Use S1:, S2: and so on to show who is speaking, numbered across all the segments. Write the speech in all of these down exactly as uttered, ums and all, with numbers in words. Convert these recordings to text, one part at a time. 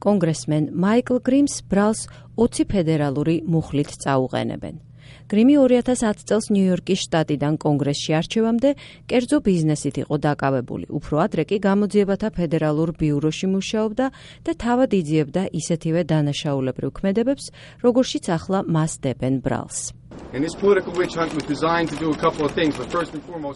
S1: კონგრესმენ მაიკლ გრიმს ბრალს ოცი ფედერალური მუხლით წაუყენებენ. გრიმი ორი ათას ათი წელს ნიუ-იორკის შტატიდან კონგრესში არჩევამდე კერძო ბიზნესით იყო დაკავებული. უფრო ადრე კი გამოძიებათა ფედერალურ ბიუროში მუშაობდა და თავად იძიებდა ისეთივე დანაშაულებრივ ქმედებებს, როგორშიც ახლა მას დებენ ბრალს.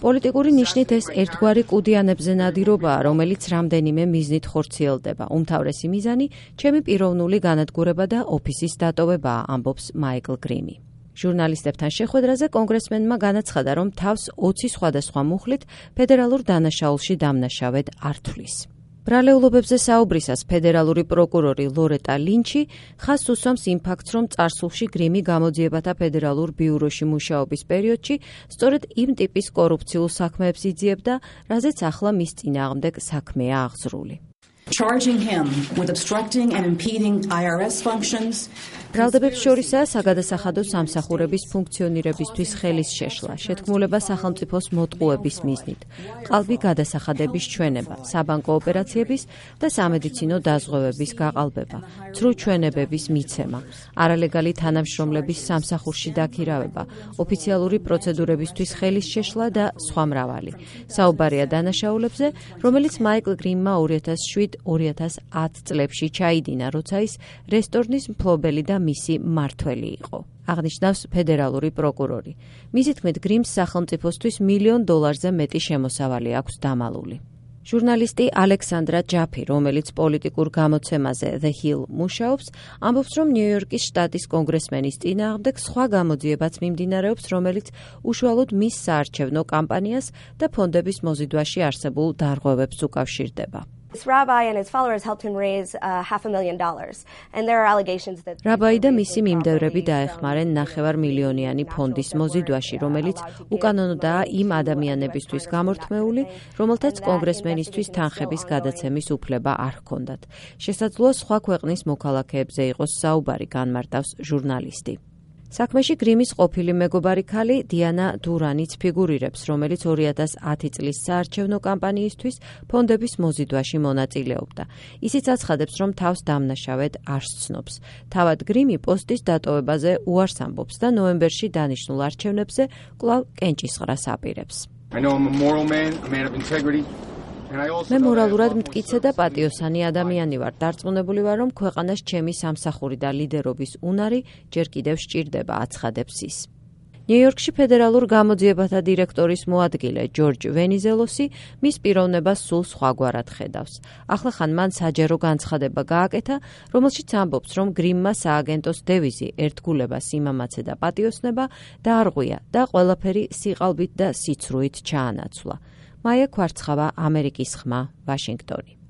S1: პოლიტიკური ნიშნით ეს ერთგვარი კუდიანებზე ნადირობაა, რომელიც რამდენიმე მიზნით ხორციელდება. უმთავრესი მიზანი ჩემი პიროვნული განადგურება და ოფისის დატოვებაა, ამბობს მაიკლ გრიმი. ჟურნალისტებთან შეხვედრაზე კონგრესმენმა განაცხადა, რომ თავს ოცი სხვადასხვა მუხლით ფედერალურ დანაშაულში დამნაშავედ არ თვლის. ბრალეულობებზე საუბრისას ფედერალური პროკურორი ლორეტა ლინჩი ხაზს უსვამს იმ ფაქტს, რომ წარსულში გრიმი გამოძიებათა ფედერალურ ბიუროში მუშაობის პერიოდში სწორედ იმ ტიპის კორუფციულ საქმეებს იძიებდა, რაზეც ახლა მის წინააღმდეგ საქმეა აღძრული.
S2: Charging him with obstructing and impeding I R S functions.
S1: ბრალდებებს შორისაა საგადასახადო სამსახურების ფუნქციონირებისთვის ხელის შეშლა, შეთქმულება სახელმწიფოს მოტყუების მიზნით, ყალბი გადასახადების ჩვენება, საბანკო ოპერაციების და სამედიცინო დაზღვევების გაყალბება, ცრუ ჩვენებების მიცემა, არალეგალი თანამშრომლების სამსახურში დაქირავება, ოფიციალური პროცედურებისთვის ხელის შეშლა და სხვა მრავალი. საუბარია დანაშაულებზე, რომელიც მაიკლ გრიმმა ორი ათას შვიდ ორი ათას ათი წლებში ჩაიდინა, როცა ის რესტორნის მფლობელი და მისი მმართველი იყო. აღნიშნავს ფედერალური პროკურორი. მისი თქმით, გრიმს სახელმწიფოსთვის მილიონ დოლარზე მეტი შემოსავალი აქვს დამალული. ჟურნალისტი ალექსანდრა ჯაფი, რომელიც პოლიტიკურ გამოცემაზე The Hill მუშაობს, ამბობს, რომ ნიუ-იორკის შტატის კონგრესმენის წინააღმდეგ სხვა გამოძიებაც მიმდინარეობს, რომელიც უშუალოდ მის საარჩევნო კამპანიას და ფონდების მოზიდვაში არსებულ დარღვევებს უკავშირდება.
S3: This rabbi and his followers helped him raise uh, half a million dollars, and there are allegations that
S1: რაბაი და მისი მიმდევრები დაეხმარენ ნახევარ მილიონიანი ფონდის მოზიდვაში, რომელიც უკანონოდაა იმ ადამიანებისთვის გამორთმეული, რომელთაც კონგრესმენისთვის თანხების გადაცემის უფლება არ ჰქონდათ. შესაძლოა სხვა ქვეყნის მოქალაქეებზე იყოს საუბარი, განმარტავს ჟურნალისტი. საქმეში გრიმის ყოფილი მეგობარი ქალი დიანა დურანიც ფიგურირებს, რომელიც ორი ათას ათი წლის საარჩევნო კამპანიისთვის ფონდების მოზიდვაში მონაწილეობდა. ისიც აცხადებს, რომ თავს დამნაშავედ არ სცნობს. თავად გრიმი პოსტის დატოვებაზე უარს ამბობს და ნოემბერში დანიშნულ არჩევნებზე კვლავ კენჭისყრას აპირებს. მე მორალურად მტკიცე და პატიოსანი ადამიანი ვარ. დარწმუნებული ვარ, რომ ქვეყანას ჩემი სამსახური და ლიდერობის უნარი ჯერ კიდევ სჭირდება, აცხადებს ის. ნიუ-იორკში ფედერალურ გამოძიებათა დირექტორის მოადგილე ჯორჯ ვენიზელოსი მის პიროვნებას სულ სხვაგვარად ხედავს. ახლახან მან საჯარო განცხადება გააკეთა, რომელშიც ამბობს, რომ გრიმმა სააგენტოს დევიზი ერთგულება, სიმამაცე და პატიოსნება დაარღვია და ყველაფერი სიყალბით და სიცრუით ჩაანაცვლა. მაია ქვარცხავა, ამერიკის ხმა, ვაშინგტონი.